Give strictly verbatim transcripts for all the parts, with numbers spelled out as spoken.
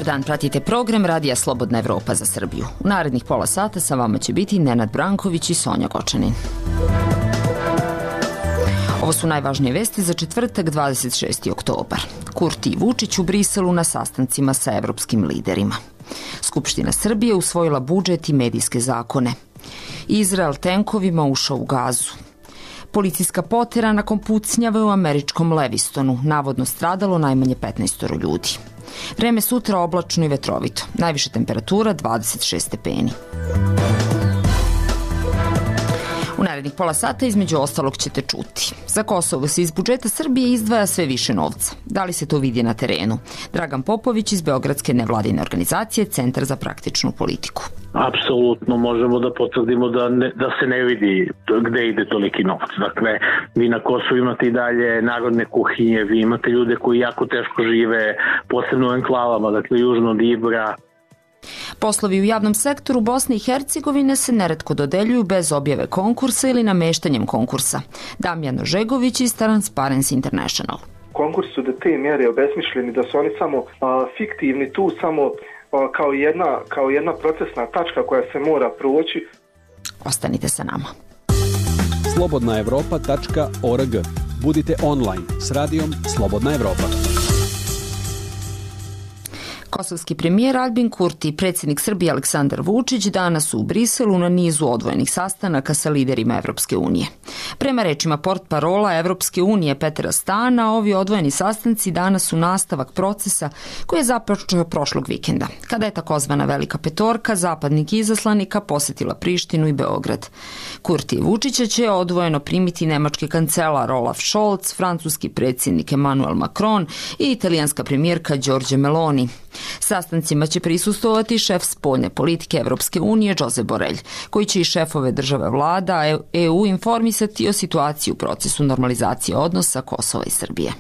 Dobar dan, pratite program Radija Slobodna Evropa za Srbiju. U narednih pola sata sa vama će biti Nenad Branković i Sonja Gočanin. Ovo su najvažnije vesti za četvrtak, dvadeset šesti oktobar. Kurti i Vučić u Briselu na sastancima sa evropskim liderima. Skupština Srbije usvojila budžet i medijske zakone. Izrael tenkovima ušao u Gazu. Policijska potera nakon pucnjave u američkom Levistonu, navodno stradalo najmanje petnaest ljudi. Vreme sutra oblačno i vetrovito. Najviša temperatura dvadeset šest stepeni. U narednih pola sata između ostalog ćete čuti. Za Kosovo se iz budžeta Srbije izdvaja sve više novca. Da li se to vidi na terenu? Dragan Popović iz Beogradske nevladine organizacije Centar za praktičnu politiku. Apsolutno možemo da potvrdimo da, ne, da se ne vidi gde ide toliki novac. Dakle, vi na Kosovu imate i dalje narodne kuhinje, vi imate ljude koji jako teško žive, posebno u enklavama, dakle južno od Ibra. Poslovi u javnom sektoru Bosne i Hercegovine se neretko dodeljuju bez objave konkursa ili nameštanjem konkursa. Damjan Ožegović iz Transparency International. Konkursi su do te mjere obesmišljeni da su oni samo a, fiktivni, tu samo a, kao, jedna, kao jedna procesna tačka koja se mora proći. Ostanite sa nama. slobodna evropa tačka org. Budite online s radijom Slobodna Evropa. Kosovski premijer Albin Kurti i predsjednik Srbije Aleksandar Vučić danas su u Briselu na nizu odvojenih sastanaka sa liderima Evropske unije. Prema rečima portparola Evropske unije Petera Stana, ovi odvojeni sastanci danas su nastavak procesa koji je započeo prošlog vikenda, kada je takozvana Velika petorka zapadnih izaslanika posjetila Prištinu i Beograd. Kurti i Vučića će odvojeno primiti nemački kancelar Olaf Scholz, francuski predsjednik Emmanuel Macron i italijanska premijerka Giorgia Meloni. Sastancima će prisustovati šef spoljne politike Evropske unije Josep Borrell, koji će i šefove države vlada E U informisati o situaciji u procesu normalizacije odnosa Kosova i Srbije.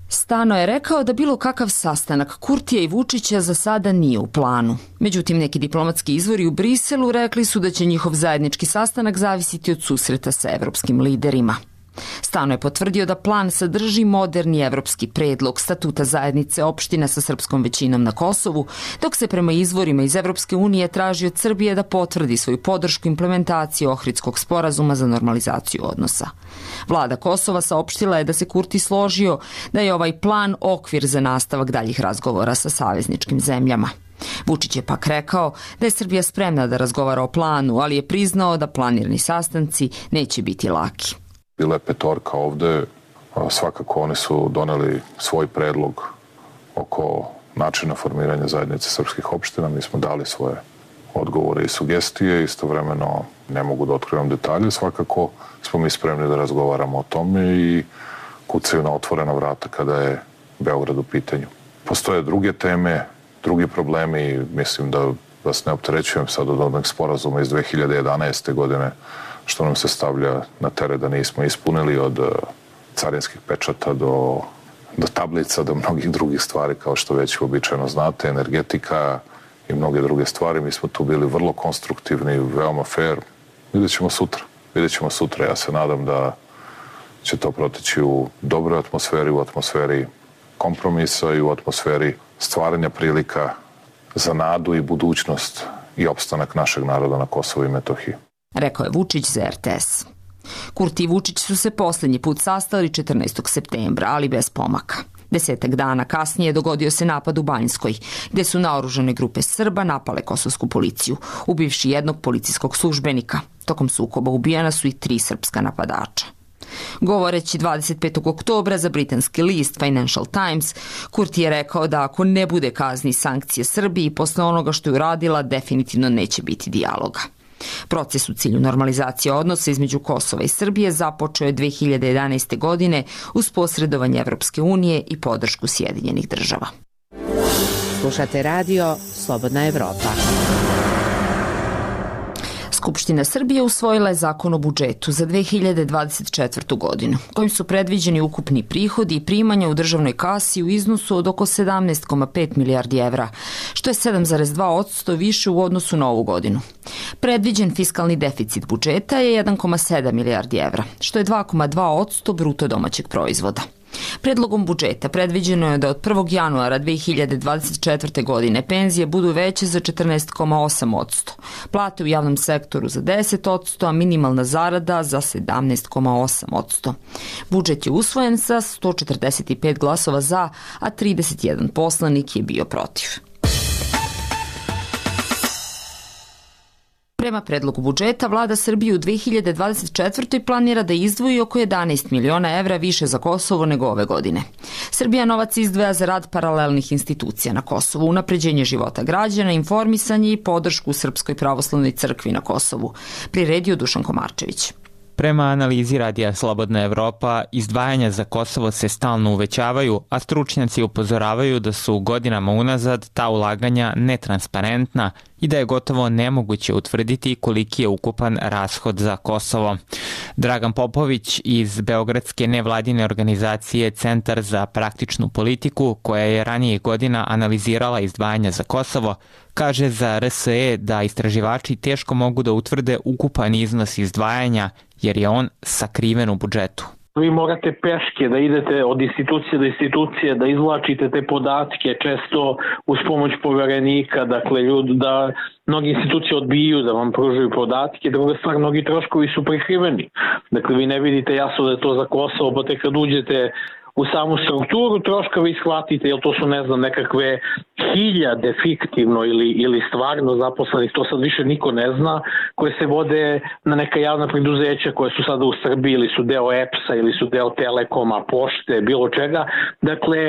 Stano je rekao da bilo kakav sastanak Kurtija i Vučića za sada nije u planu. Međutim, neki diplomatski izvori u Briselu rekli su da će njihov zajednički sastanak zavisiti od susreta sa evropskim liderima. Stano je potvrdio da plan sadrži moderni evropski predlog statuta zajednice opština sa srpskom većinom na Kosovu, dok se prema izvorima iz Evropske unije traži od Srbije da potvrdi svoju podršku implementaciji Ohridskog sporazuma za normalizaciju odnosa. Vlada Kosova saopštila je da se Kurti složio da je ovaj plan okvir za nastavak daljih razgovora sa savezničkim zemljama. Vučić je pak rekao da je Srbija spremna da razgovara o planu, ali je priznao da planirani sastanci neće biti laki. Bila je petorka ovde, svakako oni su doneli svoj predlog oko načina formiranja zajednice srpskih opština. Mi smo dali svoje odgovore i sugestije, istovremeno ne mogu da otkrivam detalje, svakako smo mi spremni da razgovaramo o tome i kucaju na otvorena vrata kada je Beograd u pitanju. Postoje druge teme, drugi problemi, mislim da vas ne opterećujem sad od onog sporazuma iz dve hiljade jedanaeste. godine, što nam se stavlja na teret da nismo ispunili, od carinskih pečata do, do tablica, do mnogih drugih stvari, kao što već uobičajeno znate, energetika i mnoge druge stvari. Mi smo tu bili vrlo konstruktivni, veoma fair. Vidjet ćemo sutra. Vidjet ćemo sutra. Ja se nadam da će to proteći u dobroj atmosferi, u atmosferi kompromisa i u atmosferi stvaranja prilika za nadu i budućnost i opstanak našeg naroda na Kosovu i Metohiji. Rekao je Vučić za R T S. Kurti i Vučić su se posljednji put sastali četrnaestog septembra, ali bez pomaka. Desetak dana kasnije dogodio se napad u Banjskoj, gde su naoružane grupe Srba napale kosovsku policiju, ubivši jednog policijskog službenika. Tokom sukoba ubijena su i tri srpska napadača. Govoreći dvadeset petog oktobra za britanski list Financial Times, Kurti je rekao da ako ne bude kazni sankcije Srbiji posle onoga što je uradila, definitivno neće biti dijaloga. Proces u cilju normalizacije odnosa između Kosova i Srbije započeo je dve hiljade jedanaeste. godine uz posredovanje Evropske unije i podršku Sjedinjenih država. Slušate radio Slobodna Evropa. Skupština Srbije usvojila je zakon o budžetu za dve hiljade dvadeset četvrtu. godinu, kojim su predviđeni ukupni prihodi i primanja u državnoj kasi u iznosu od oko sedamnaest zarez pet milijardi evra, što je sedam zarez dva posto više u odnosu na ovu godinu. Predviđen fiskalni deficit budžeta je jedan zarez sedam milijardi evra, što je dva zarez dva posto bruto domaćeg proizvoda. Predlogom budžeta predviđeno je da od prvog januara dve hiljade dvadeset četvrte. godine penzije budu veće za četrnaest zarez osam posto, plate u javnom sektoru za deset posto, a minimalna zarada za sedamnaest zarez osam posto. Budžet je usvojen sa sto četrdeset pet glasova za, a trideset jedan poslanik je bio protiv. Prema predlogu budžeta, vlada Srbije u dve hiljade dvadeset četvrtoj. planira da izdvoji oko jedanaest miliona evra više za Kosovo nego ove godine. Srbija novac izdvaja za rad paralelnih institucija na Kosovu, unapređenje života građana, informisanje i podršku Srpskoj pravoslavnoj crkvi na Kosovu. Priredio Dušan Komarčević. Prema analizi Radija Slobodna Evropa, izdvajanja za Kosovo se stalno uvećavaju, a stručnjaci upozoravaju da su godinama unazad ta ulaganja netransparentna i da je gotovo nemoguće utvrditi koliki je ukupan rashod za Kosovo. Dragan Popović iz beogradske nevladine organizacije Centar za praktičnu politiku, koja je ranije godina analizirala izdvajanja za Kosovo, kaže za R S E da istraživači teško mogu da utvrde ukupan iznos izdvajanja jer je on sakriven u budžetu. Vi morate peške da idete od institucije do institucije, da izvlačite te podatke, često uz pomoć poverenika, dakle ljudi da mnogi institucije odbiju da vam pružaju podatke, druga stvar, mnogi troškovi su prikriveni. Dakle, vi ne vidite jasno da je to za Kosovo, pa tek kad uđete u samu strukturu troška vi shvatite, jer to su, ne znam, nekakve hiljade fiktivno ili, ili stvarno zaposlenih, to sad više niko ne zna, koje se vode na neka javna preduzeća koje su sada u Srbiji ili su deo E P S-a ili su deo Telekoma, pošte, bilo čega. Dakle,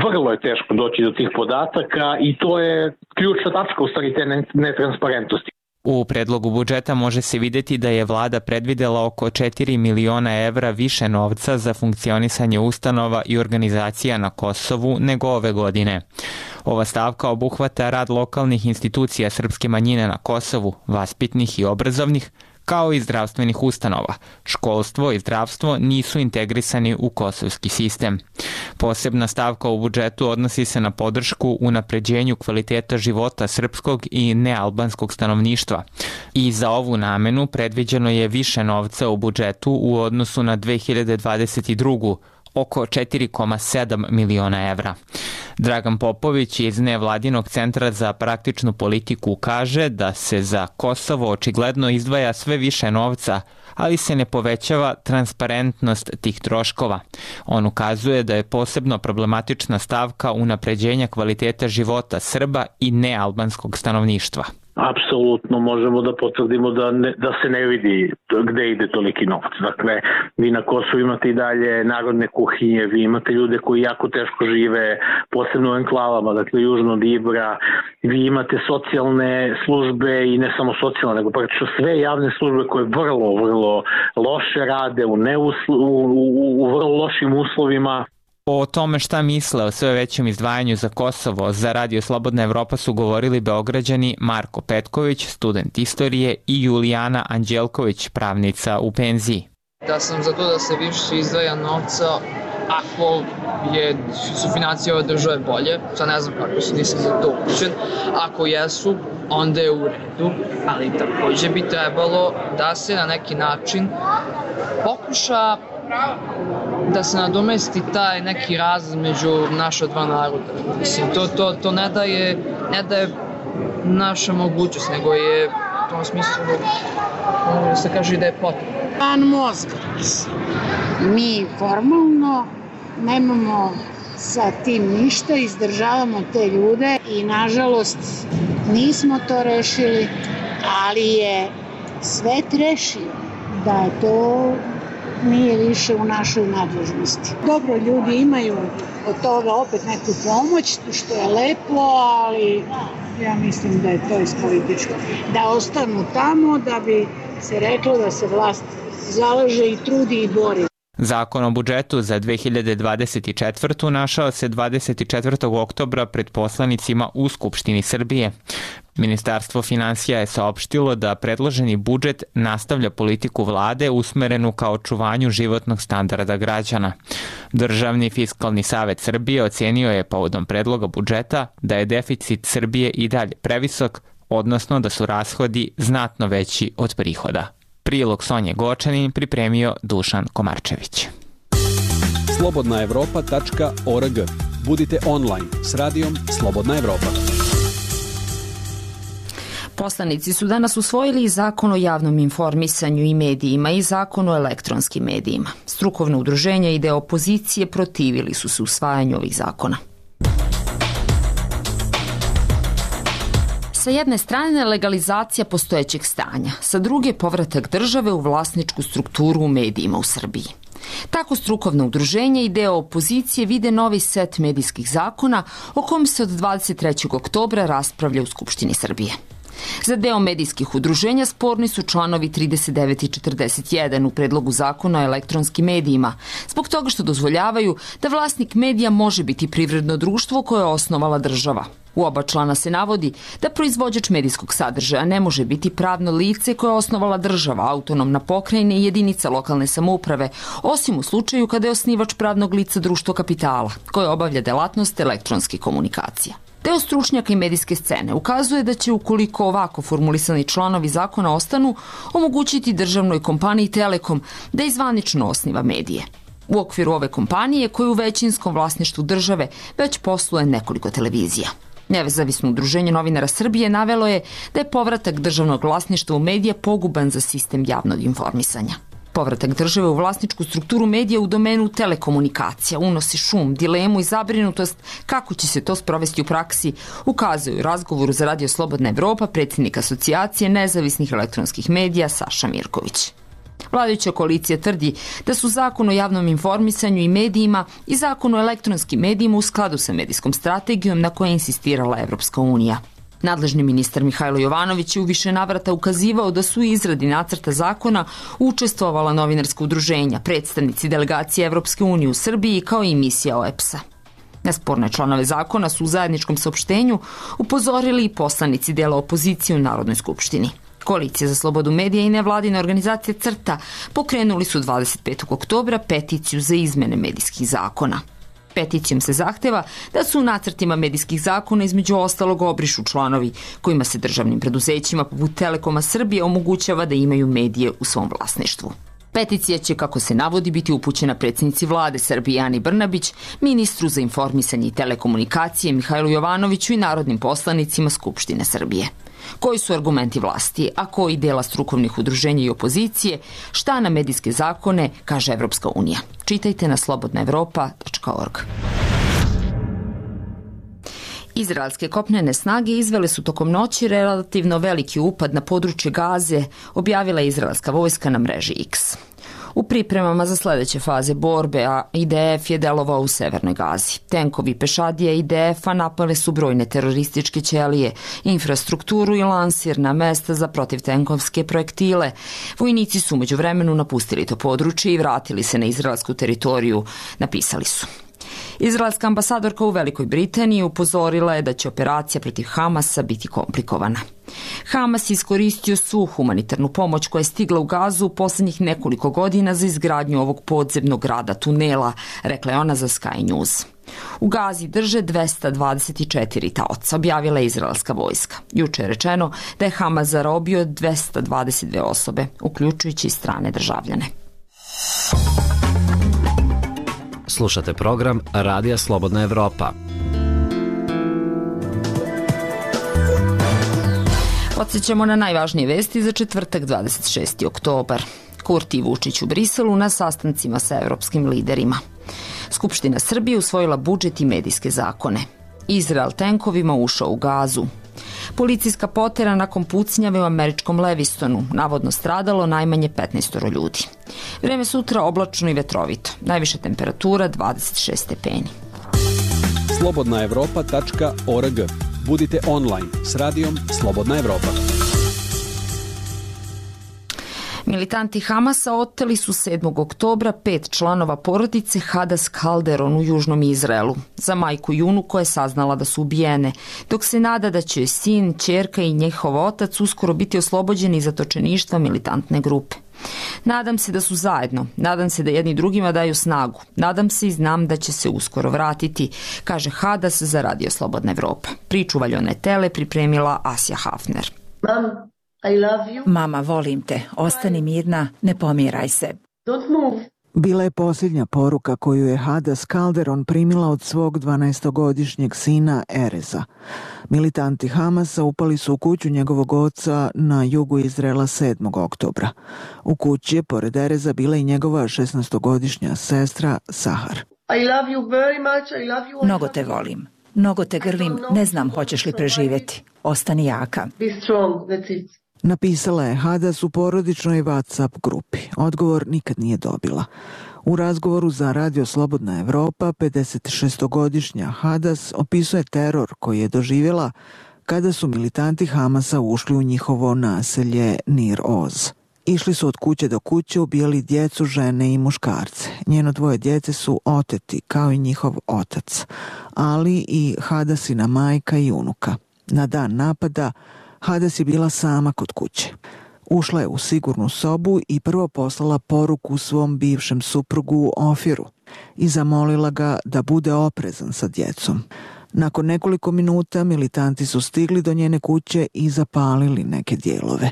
vrlo je teško doći do tih podataka i to je ključna tačka u stvari te netransparentnosti. U predlogu budžeta može se videti da je vlada predvidela oko četiri miliona evra više novca za funkcionisanje ustanova i organizacija na Kosovu nego ove godine. Ova stavka obuhvata rad lokalnih institucija srpske manjine na Kosovu, vaspitnih i obrazovnih, kao i zdravstvenih ustanova. Školstvo i zdravstvo nisu integrisani u kosovski sistem. Posebna stavka u budžetu odnosi se na podršku unapređenju kvaliteta života srpskog i nealbanskog stanovništva. I za ovu namenu predviđeno je više novca u budžetu u odnosu na dve hiljade dvadeset drugu. oko četiri zarez sedam miliona evra. Dragan Popović iz nevladinog Centra za praktičnu politiku kaže da se za Kosovo očigledno izdvaja sve više novca, ali se ne povećava transparentnost tih troškova. On ukazuje da je posebno problematična stavka unapređenja kvaliteta života Srba i nealbanskog stanovništva. Apsolutno možemo da potvrdimo da, ne, da se ne vidi gde ide toliki novac. Dakle, vi na Kosovu imate i dalje narodne kuhinje, vi imate ljude koji jako teško žive, posebno u enklavama, dakle južno od Ibra, vi imate socijalne službe i ne samo socijalne, nego praktično sve javne službe koje vrlo, vrlo loše rade u, neuslo, u, u, u vrlo lošim uslovima. O tome šta misle o sve većem izdvajanju za Kosovo za Radio Slobodna Evropa su govorili Beograđani Marko Petković, student istorije, i Julijana Anđelković, pravnica u penziji. Da sam za to da se više izdvaja novca ako je sufinancija ove države bolje, sad ne znam kako se, nisam za to upućen, ako jesu, onda je u redu, ali takođe bi trebalo da se na neki način pokuša da se nadomesti taj neki raz među naša dva naroda. Mislim, to, to, to ne daje, ne daje naša mogućnost, nego je u tom smislu, da se kaže da je potrebno. Pan mozga. Mi formalno nemamo sa tim ništa, izdržavamo te ljude i nažalost nismo to rešili, ali je svet rešio da to nije više u našoj nadležnosti. Dobro, ljudi imaju od toga opet neku pomoć, što je lepo, ali ja mislim da je to ispolitičko. Da ostanu tamo, da bi se reklo da se vlast zalaže i trudi i bori. Zakon o budžetu za dve hiljade dvadeset četvrtu. našao se dvadeset četvrtog oktobra pred poslanicima u Skupštini Srbije. Ministarstvo finansija je saopštilo da predloženi budžet nastavlja politiku vlade usmerenu ka očuvanju životnog standarda građana. Državni fiskalni savet Srbije ocenio je povodom predloga budžeta da je deficit Srbije i dalje previsok, odnosno da su rashodi znatno veći od prihoda. Prilog Sonje Gočanin pripremio Dušan Komarčević. slobodna evropa tačka org. Budite online s radijom Slobodna Evropa. Poslanici su danas usvojili i zakon o javnom informisanju i medijima i zakon o elektronskim medijima. Strukovna udruženja i deo opozicije protivili su se usvajanju ovih zakona. Sa jedne strane legalizacija postojećeg stanja, sa druge povratak države u vlasničku strukturu u medijima u Srbiji. Tako strukovna udruženja i deo opozicije vide novi set medijskih zakona o kom se od dvadeset trećeg oktobra raspravlja u Skupštini Srbije. Za deo medijskih udruženja sporni su članovi trideset devet i četrdeset jedan u predlogu zakona o elektronskim medijima, zbog toga što dozvoljavaju da vlasnik medija može biti privredno društvo koje je osnovala država. U oba člana se navodi da proizvođač medijskog sadržaja ne može biti pravno lice koje je osnovala država, autonomna pokrajina i jedinica lokalne samouprave, osim u slučaju kada je osnivač pravnog lica društvo kapitala, koje obavlja delatnost elektronskih komunikacija. Deo stručnjaka i medijske scene ukazuje da će, ukoliko ovako formulisani članovi zakona ostanu, omogućiti državnoj kompaniji Telekom da izvanično osniva medije. U okviru ove kompanije, koja u većinskom vlasništvu države već posluje nekoliko televizija. Nezavisno udruženje novinara Srbije navelo je da je povratak državnog vlasništva u medije poguban za sistem javnog informisanja. Povratak države u vlasničku strukturu medija u domenu telekomunikacija unosi šum, dilemu i zabrinutost kako će se to sprovesti u praksi, ukazuju u razgovoru za Radio Slobodna Evropa predsjednik Asocijacije nezavisnih elektronskih medija Saša Mirković. Vladajuća koalicija tvrdi da su zakon o javnom informisanju i medijima i zakon o elektronskim medijima u skladu sa medijskom strategijom na kojoj je insistirala Evropska unija. Nadležni ministar Mihajlo Jovanović je u više navrata ukazivao da su u izradi nacrta zakona učestvovala novinarska udruženja, predstavnici delegacije Evropske unije u Srbiji kao i misija O E P S-a. Na sporne članove zakona su u zajedničkom saopštenju upozorili i poslanici dela opozicije u Narodnoj skupštini. Koalicija za slobodu medija i nevladine organizacije CRTA pokrenuli su dvadeset petog oktobra peticiju za izmene medijskih zakona. Peticijom se zahteva da su u nacrtima medijskih zakona između ostalog obrišu članovi kojima se državnim preduzećima poput Telekoma Srbije omogućava da imaju medije u svom vlasništvu. Peticija će, kako se navodi, biti upućena predsjednici vlade Srbije Ani Brnabić, ministru za informisanje i telekomunikacije Mihajlu Jovanoviću i narodnim poslanicima Skupštine Srbije. Koji su argumenti vlasti, a koji dela strukovnih udruženja i opozicije, šta na medijske zakone kaže Evropska unija. Čitajte na slobodna evropa tačka org. Izraelske kopnene snage izvele su tokom noći relativno veliki upad na područje Gaze, objavila je izraelska vojska na mreži X. U pripremama za sledeće faze borbe, a I D F je delovao u severnoj Gazi. Tenkovi pešadija I D F-a napale su brojne terorističke ćelije, infrastrukturu i lansirna mesta za protivtenkovske projektile. Vojnici su umeđu vremenu napustili to područje i vratili se na izraelsku teritoriju, napisali su. Izraelska ambasadorka u Velikoj Britaniji upozorila je da će operacija protiv Hamasa biti komplikovana. Hamas je iskoristio svu humanitarnu pomoć koja je stigla u Gazu u poslednjih nekoliko godina za izgradnju ovog podzemnog grada tunela, rekla je ona za Sky News. U Gazi drže dvesta dvadeset četiri taoca, objavila je izraelska vojska. Juče je rečeno da je Hamas zarobio dvesta dvadeset dve osobe, uključujući i strane državljane. Slušate program Radija Slobodna Evropa. Podsjećamo na najvažnije vesti za četvrtak dvadeset šesti oktobar. Kurti i Vučić u Briselu na sastancima sa evropskim liderima. Skupština Srbije usvojila budžet i medijske zakone. Izrael tenkovima ušao u Gazu. Policijska potera nakon pucnjave u američkom Levistonu, navodno stradalo najmanje petnaest ljudi. Vreme sutra oblačno i vetrovito. Najviša temperatura dvadeset šest stepeni. slobodna evropa tačka org. Budite online s radijom Slobodna Evropa. Militanti Hamasa oteli su sedmog oktobra pet članova porodice Hadas Kalderon u južnom Izraelu, za majku Junu koja je saznala da su ubijene, dok se nada da će sin, ćerka i njihov otac uskoro biti oslobođeni iz zatočeništva militantne grupe. Nadam se da su zajedno, nadam se da jedni drugima daju snagu, nadam se i znam da će se uskoro vratiti, kaže Hadas za Radio Slobodna Evropa. Priču Valjone Tele pripremila Asja Hafner. Mam, I love you. Mama, volim te, ostani mirna, ne pomiraj se. Don't move. Bila je posljednja poruka koju je Hadas Calderon primila od svog dvanaestogodišnjeg sina Ereza. Militanti Hamasa upali su u kuću njegovog oca na jugu Izraela sedmog oktobra. U kući je pored Ereza bila i njegova šesnaestogodišnja sestra Sahar. I love you very much. I love you. Mnogo te volim. Mnogo te grlim. Ne znam hoćeš li preživjeti. Ostani jaka. Be strong. That's it. Napisala je Hadas u porodičnoj WhatsApp grupi. Odgovor nikad nije dobila. U razgovoru za Radio Slobodna Evropa, pedesetšestogodišnja Hadas opisuje teror koji je doživjela kada su militanti Hamasa ušli u njihovo naselje Nir Oz. Išli su od kuće do kuće, ubijali djecu, žene i muškarce. Njeno dvoje djece su oteti, kao i njihov otac, ali i Hadasina majka i unuka. Na dan napada Hadas je bila sama kod kuće. Ušla je u sigurnu sobu i prvo poslala poruku svom bivšem suprugu Ofiru i zamolila ga da bude oprezan sa djecom. Nakon nekoliko minuta militanti su stigli do njene kuće i zapalili neke dijelove.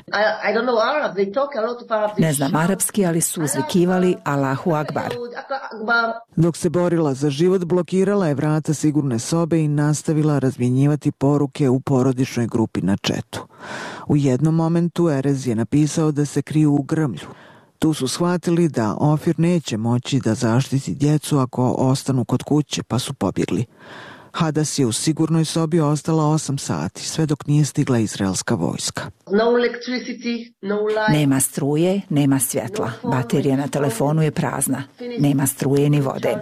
Ne znam arapski, ali su uzvikivali Allahu Akbar. Dok se borila za život, blokirala je vrata sigurne sobe i nastavila razmjenjivati poruke u porodičnoj grupi na četu. U jednom momentu Erez je napisao da se kriju u grmlju. Tu su shvatili da Ofir neće moći da zaštiti djecu ako ostanu kod kuće, pa su pobjegli. Hadas je u sigurnoj sobi ostala osam sati, sve dok nije stigla izraelska vojska. Nema struje, nema svjetla. Baterija na telefonu je prazna. Nema struje ni vode.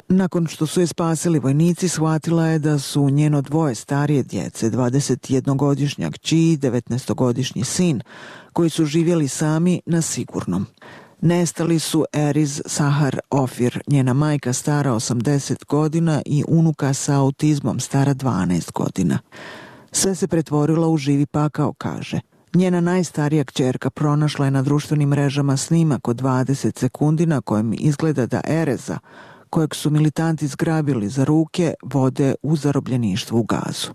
Nakon što su je spasili vojnici, shvatila je da su njeno dvoje starije djece, dvadesetjednogodišnja kći i devetnaestogodišnji sin, koji su živjeli sami na sigurnom. Nestali su Eriz, Sahar, Ofir, njena majka stara osamdeset godina i unuka sa autizmom stara dvanaest godina. Sve se pretvorilo u živi pakao, kaže. Njena najstarija kćerka pronašla je na društvenim mrežama snimak od dvadeset sekundi na kojem izgleda da Ereza, kojeg su militanti zgrabili za ruke, vode u zarobljeništvu u Gazu.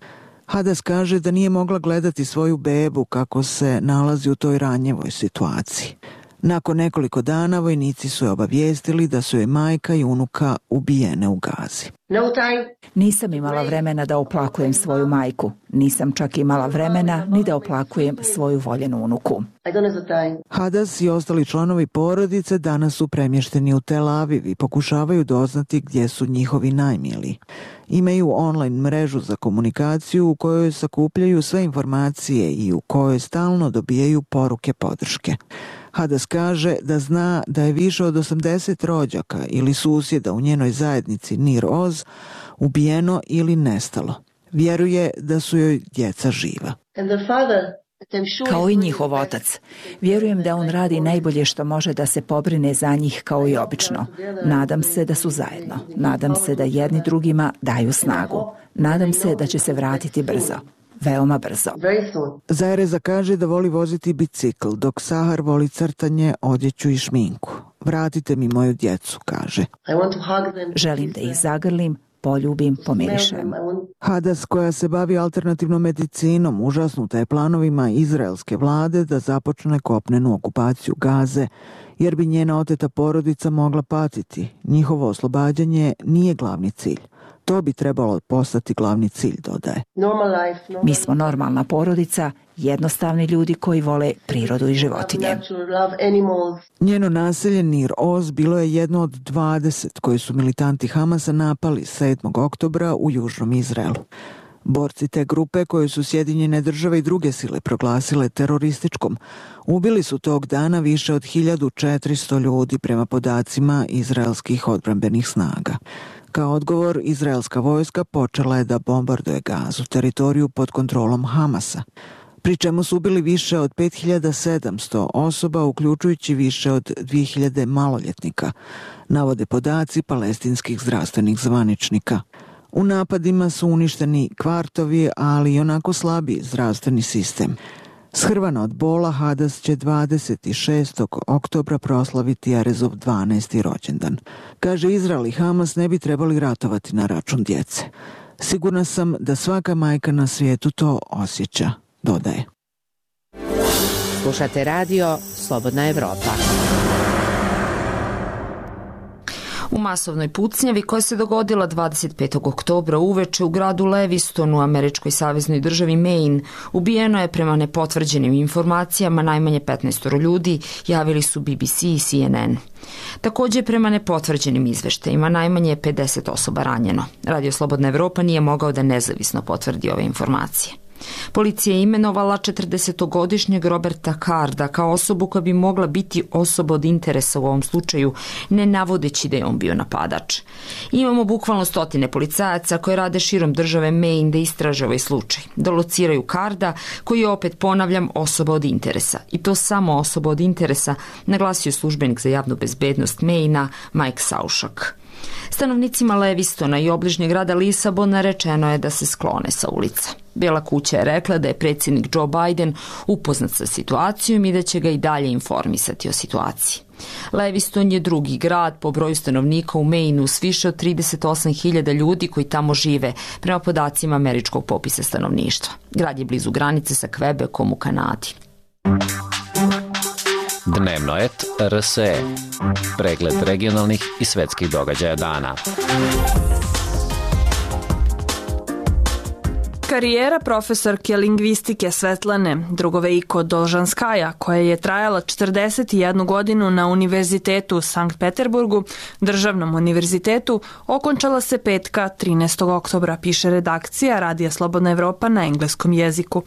Hadas kaže da nije mogla gledati svoju bebu kako se nalazi u toj ranjevoj situaciji. Nakon nekoliko dana vojnici su je obavijestili da su joj majka i unuka ubijene u Gazi. Nisam imala vremena da oplakujem svoju majku. Nisam čak imala vremena ni da oplakujem svoju voljenu unuku. Hadas i ostali članovi porodice danas su premješteni u Tel Aviv i pokušavaju doznati gdje su njihovi najmiliji. Imaju online mrežu za komunikaciju u kojoj sakupljaju sve informacije i u kojoj stalno dobijaju poruke podrške. Hadas kaže da zna da je više od osamdeset rođaka ili susjeda u njenoj zajednici Nir Oz ubijeno ili nestalo. Vjeruje da su joj djeca živa. Kao i njihov otac. Vjerujem da on radi najbolje što može da se pobrine za njih kao i obično. Nadam se da su zajedno. Nadam se da jedni drugima daju snagu. Nadam se da će se vratiti brzo. Veoma brzo. Za Ereza kaže da voli voziti bicikl, dok Sahar voli crtanje, odjeću i šminku. Vratite mi moju djecu, kaže. Želim da ih zagrlim, poljubim, pomirišem. Hadas, koja se bavi alternativnom medicinom, užasnuta je planovima izraelske vlade da započne kopnenu okupaciju Gaze, jer bi njena oteta porodica mogla patiti. Njihovo oslobađanje nije glavni cilj. To bi trebalo postati glavni cilj, dodaje. Mi smo normalna porodica, jednostavni ljudi koji vole prirodu i životinje. Njeno naselje Nir Oz bilo je jedno od dvadeset koje su militanti Hamasa napali sedmog oktobra u južnom Izraelu. Borci te grupe, koje su Sjedinjene države i druge sile proglasile terorističkom, ubili su tog dana više od hiljadu četiristo ljudi prema podacima izraelskih odbrambenih snaga. Kao odgovor, izraelska vojska počela je da bombarduje Gazu, teritoriju pod kontrolom Hamasa, pri čemu su ubili više od pet hiljada sedamsto osoba, uključujući više od dvije hiljade maloljetnika, navode podaci palestinskih zdravstvenih zvaničnika. U napadima su uništeni kvartovi, ali i onako slabi zdravstveni sistem. Shrvana od bola, Hadas će dvadeset šestog oktobra proslaviti Erezov dvanaesti rođendan. Kaže, Izrael i Hamas ne bi trebali ratovati na račun djece. Sigurna sam da svaka majka na svijetu to osjeća, dodaje. Slušate radio Slobodna Evropa. U masovnoj pucnjavi koja se dogodila dvadeset petog oktobra uveče u gradu Lewiston u američkoj saveznoj državi Maine ubijeno je prema nepotvrđenim informacijama najmanje petnaest ljudi, javili su B B C i C N N. Takođe, prema nepotvrđenim izveštajima, najmanje je pedeset osoba ranjeno. Radio Slobodna Evropa nije mogao da nezavisno potvrdi ove informacije. Policija je imenovala četrdesetogodišnjeg Roberta Carda kao osobu koja bi mogla biti osoba od interesa u ovom slučaju, ne navodeći da je on bio napadač. Imamo bukvalno stotine policajaca koji rade širom države Maine da istraže ovaj slučaj, da lociraju Carda, koji je, opet ponavljam, osoba od interesa. I to samo osoba od interesa, naglasio službenik za javnu bezbednost Maine-a Mike Saušak. Stanovnicima Levistona i obližnjeg grada Lisabona rečeno je da se sklone sa ulica. Bela kuća je rekla da je predsjednik Joe Biden upoznat sa situacijom i da će ga i dalje informisati o situaciji. Lewiston je drugi grad po broju stanovnika u Maine-u s više od trideset osam hiljada ljudi koji tamo žive, prema podacima američkog popisa stanovništva. Grad je blizu granice sa Quebecom u Kanadi. Dnevno et R S E. Pregled regionalnih i svetskih događaja dana. Karijera profesorke lingvistike Svetlane Drugovejko Dolžanskaja, koja je trajala četrdeset jednu godinu na Univerzitetu u Sankt Peterburgu, državnom univerzitetu, okončala se petka trinaestog oktobra, piše redakcija Radija Slobodna Evropa na engleskom jeziku.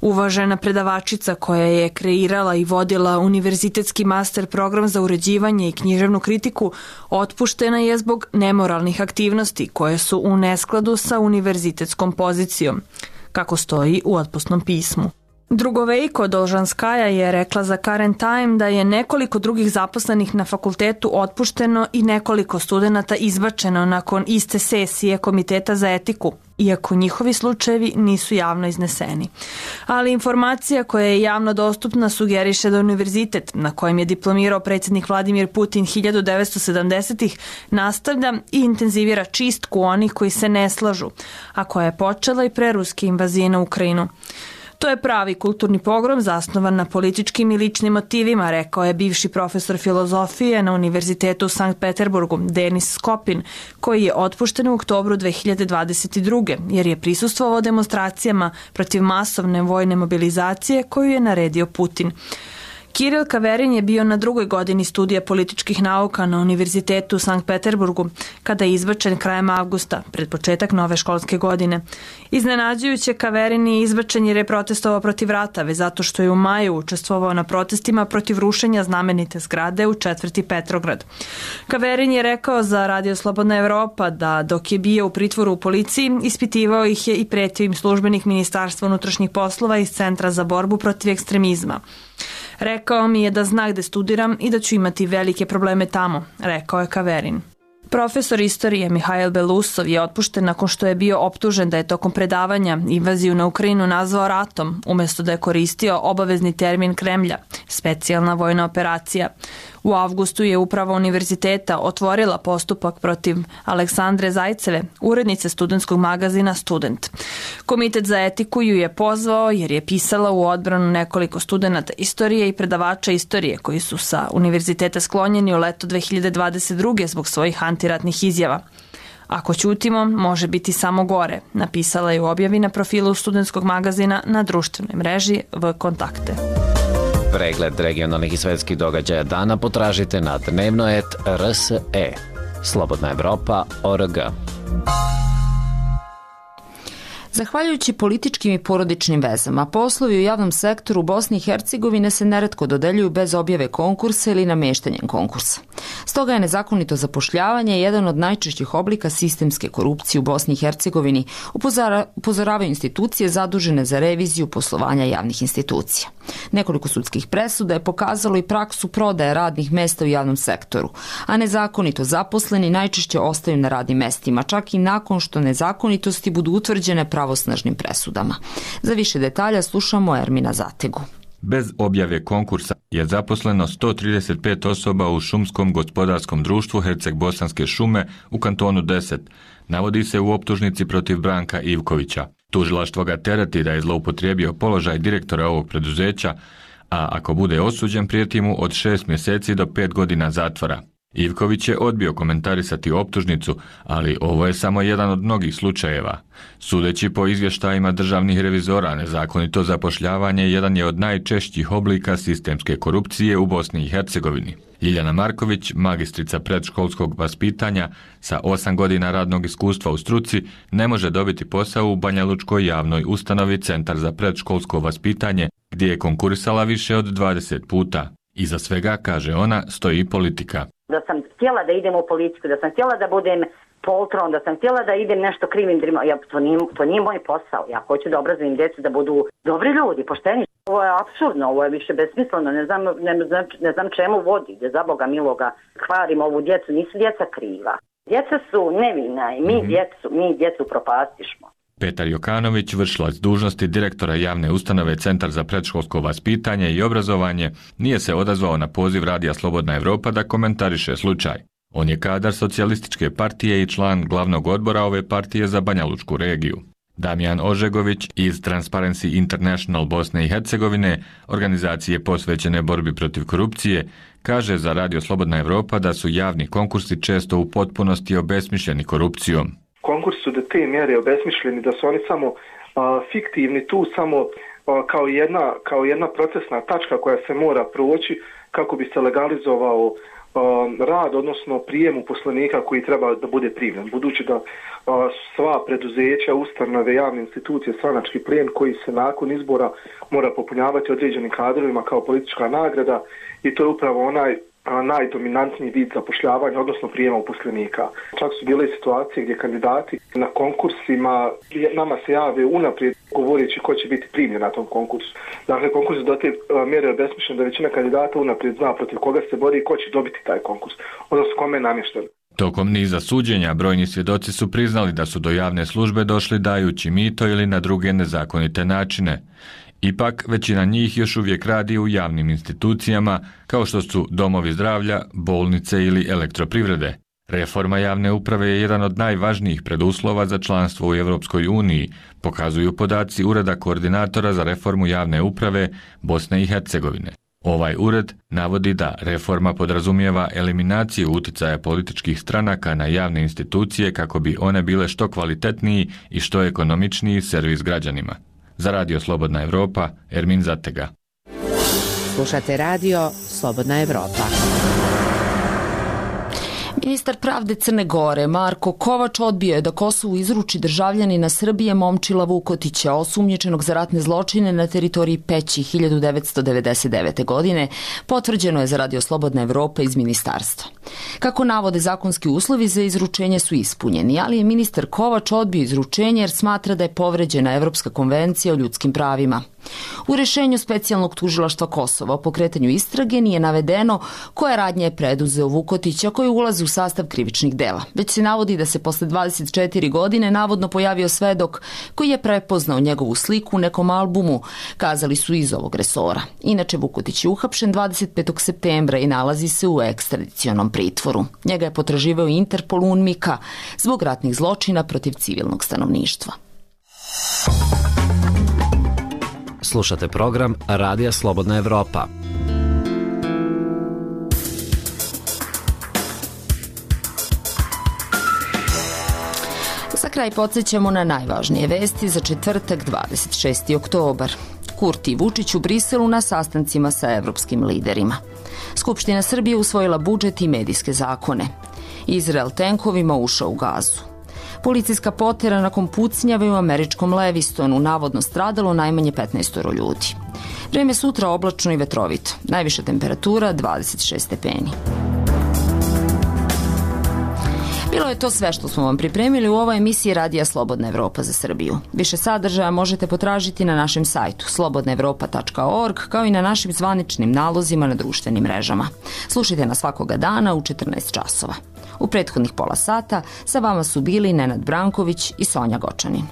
Uvažena predavačica koja je kreirala i vodila univerzitetski master program za uređivanje i književnu kritiku otpuštena je zbog nemoralnih aktivnosti koje su u neskladu sa univerzitetskom pozicijom, kako stoji u otpusnom pismu. Drugovejko Dolžanskaja je rekla za Current Time da je nekoliko drugih zaposlenih na fakultetu otpušteno i nekoliko studenata izbačeno nakon iste sesije Komiteta za etiku, iako njihovi slučajevi nisu javno izneseni. Ali informacija koja je javno dostupna sugeriše da univerzitet, na kojem je diplomirao predsjednik Vladimir Putin hiljadu devetsto sedamdesetih, nastavlja i intenzivira čistku onih koji se ne slažu, a koja je počela i pre ruske invazije na Ukrajinu. To je pravi kulturni pogrom zasnovan na političkim i ličnim motivima, rekao je bivši profesor filozofije na Univerzitetu u Sankt Peterburgu, Denis Skopin, koji je otpušten u oktobru dve hiljade dvadeset druge. jer je prisustvovao demonstracijama protiv masovne vojne mobilizacije koju je naredio Putin. Kiril Kaverin je bio na drugoj godini studija političkih nauka na Univerzitetu u Sankt Peterburgu, kada je izbačen krajem avgusta, pred početak nove školske godine. Iznenađujuće, Kaverin je izbačen jer je protestovao protiv rata, već zato što je u maju učestvovao na protestima protiv rušenja znamenite zgrade u četvrti Petrograd. Kaverin je rekao za Radio Slobodna Evropa da dok je bio u pritvoru u policiji, ispitivao ih je i pretio im službenik Ministarstva unutrašnjih poslova iz Centra za borbu protiv ekstremizma. Rekao mi je da zna gde studiram i da ću imati velike probleme tamo, rekao je Kaverin. Profesor istorije Mihajl Belusov je otpušten nakon što je bio optužen da je tokom predavanja invaziju na Ukrajinu nazvao ratom, umjesto da je koristio obavezni termin Kremlja, specijalna vojna operacija. U avgustu je uprava univerziteta otvorila postupak protiv Aleksandre Zajceve, urednice studentskog magazina Student. Komitet za etiku ju je pozvao jer je pisala u odbranu nekoliko studenata istorije i predavača istorije koji su sa univerziteta sklonjeni u leto dve hiljade dvadeset druge zbog svojih antiratnih izjava. Ako ćutimo, može biti samo gore, napisala je u objavi na profilu studentskog magazina na društvenoj mreži V Kontakte. Pregled regionalnih i svetskih događaja dana potražite na dnevno et R S E. Slobodna Evropa точка org. Zahvaljujući političkim i porodičnim vezama, poslovi u javnom sektoru u Bosni i Hercegovine se neretko dodeljuju bez objave konkursa ili nameštanjem konkursa. Stoga je nezakonito zapošljavanje jedan od najčešćih oblika sistemske korupcije u Bosni i Hercegovini, upozoravaju institucije zadužene za reviziju poslovanja javnih institucija. Nekoliko sudskih presuda je pokazalo i praksu prodaje radnih mesta u javnom sektoru, a nezakonito zaposleni najčešće ostaju na radnim mestima, čak i nakon što nezakonitosti budu utvrđene pravosnažnim presudama. Za više detalja slušamo Ermina Zategu. Bez objave konkursa je zaposleno sto trideset pet osoba u šumskom gospodarskom društvu Herceg-Bosanske šume u kantonu deset, navodi se u optužnici protiv Branka Ivkovića. Tužilaštvo ga tereti da je zloupotrijebio položaj direktora ovog preduzeća, a ako bude osuđen prijeti mu od šest mjeseci do pet godina zatvora. Ivković je odbio komentarisati optužnicu, ali ovo je samo jedan od mnogih slučajeva. Sudeći po izvještajima državnih revizora, nezakonito zapošljavanje jedan je od najčešćih oblika sistemske korupcije u Bosni i Hercegovini. Ljiljana Marković, magistrica predškolskog vaspitanja sa osam godina radnog iskustva u struci, ne može dobiti posao u Banjalučkoj javnoj ustanovi Centar za predškolsko vaspitanje, gdje je konkurisala više od dvadeset puta. Iza svega, kaže ona, stoji politika. Da sam htjela da idem u politiku, da sam htjela da budem poltron, da sam htjela da idem nešto krivim drima. Ja, to, nije, to nije moj posao. Ja hoću da obrazujem djecu da budu dobri ljudi, pošteni. Ovo je apsurdno, ovo je više besmisleno. Ne znam, ne, znam, ne znam čemu vodi, da za Boga miloga kvarim ovu djecu. Nisu djeca kriva. Djeca su nevina i mi, mm-hmm. djecu, mi djecu propastišmo. Petar Jokanović, vršilac dužnosti direktora javne ustanove Centar za predškolsko vaspitanje i obrazovanje, nije se odazvao na poziv Radija Slobodna Evropa da komentariše slučaj. On je kadar socijalističke partije i član glavnog odbora ove partije za Banjalučku regiju. Damjan Ožegović iz Transparency International Bosne i Hercegovine, organizacije posvećene borbi protiv korupcije, kaže za Radio Slobodna Evropa da su javni konkursi često u potpunosti obesmišljeni korupcijom. Konkursi su do te mjere obesmišljeni da su oni samo a, fiktivni tu, samo a, kao, jedna, kao jedna procesna tačka koja se mora proći kako bi se legalizovao rad, odnosno prijem uposlenika koji treba da bude primljen. Budući da a, sva preduzeća, ustanove, javne institucije, stranački plijen koji se nakon izbora mora popunjavati određenim kadrovima kao politička nagrada i to je upravo onaj a, najdominantniji vid zapošljavanja, odnosno prijema uposlenika. Čak su bile situacije gdje kandidati na konkursima nama se jave unaprijed govoreći ko će biti primljen na tom konkursu. Dakle, konkurs do te mjere je besmišljen da većina kandidata unaprijed zna protiv koga se bori i ko će dobiti taj konkurs, odnosno kome je namješten. Tokom niza suđenja, brojni svjedoci su priznali da su do javne službe došli dajući mito ili na druge nezakonite načine. Ipak, većina njih još uvijek radi u javnim institucijama, kao što su domovi zdravlja, bolnice ili elektroprivrede. Reforma javne uprave je jedan od najvažnijih preduslova za članstvo u Europskoj uniji, pokazuju podaci Ureda koordinatora za reformu javne uprave Bosne i Hercegovine. Ovaj ured navodi da reforma podrazumijeva eliminaciju uticaja političkih stranaka na javne institucije kako bi one bile što kvalitetniji i što ekonomičniji servis građanima. Za Radio Slobodna Evropa, Ermin Zatega. Slušate Radio Slobodna Evropa. Ministar pravde Crne Gore Marko Kovač odbio je da Kosovu izruči državljanina Srbije Momčila Vukotića, osumnjičenog za ratne zločine na teritoriji Peći hiljadu devetsto devedeset devete. godine, potvrđeno je za Radio Slobodna Evropa iz ministarstva. Kako navode, zakonski uslovi za izručenje su ispunjeni, ali je ministar Kovač odbio izručenje jer smatra da je povređena Evropska konvencija o ljudskim pravima. U rešenju specijalnog tužilaštva Kosova o pokretanju istrage nije navedeno koja radnja je preduzeo Vukotića koji ulazi u sastav krivičnih dela. Već se navodi da se posle dvadeset četiri godine navodno pojavio svedok koji je prepoznao njegovu sliku u nekom albumu, kazali su iz ovog resora. Inače, Vukotić je uhapšen dvadeset petog septembra i nalazi se u ekstradicionom pritvoru. Njega je potraživao Interpol UNMIKA zbog ratnih zločina protiv civilnog stanovništva. Slušate program Radija Slobodna Evropa. Za kraj podsjećamo na najvažnije vesti za četvrtak dvadeset šesti oktobar. Kurti i Vučić u Briselu na sastancima sa evropskim liderima. Skupština Srbije usvojila budžet i medijske zakone. Izrael tenkovima ušao u Gazu. Policijska potera nakon pucnjave u američkom Levistonu, navodno stradalo najmanje petnaest ljudi. Vreme sutra oblačno i vetrovito. Najviša temperatura dvadeset šest stepeni. Bilo je to sve što smo vam pripremili u ovoj emisiji Radija Slobodna Evropa za Srbiju. Više sadržaja možete potražiti na našem sajtu slobodna evropa tačka org kao i na našim zvaničnim nalozima na društvenim mrežama. Slušajte nas svakoga dana u četrnaest časova. U prethodnih pola sata sa vama su bili Nenad Branković i Sonja Gočanin.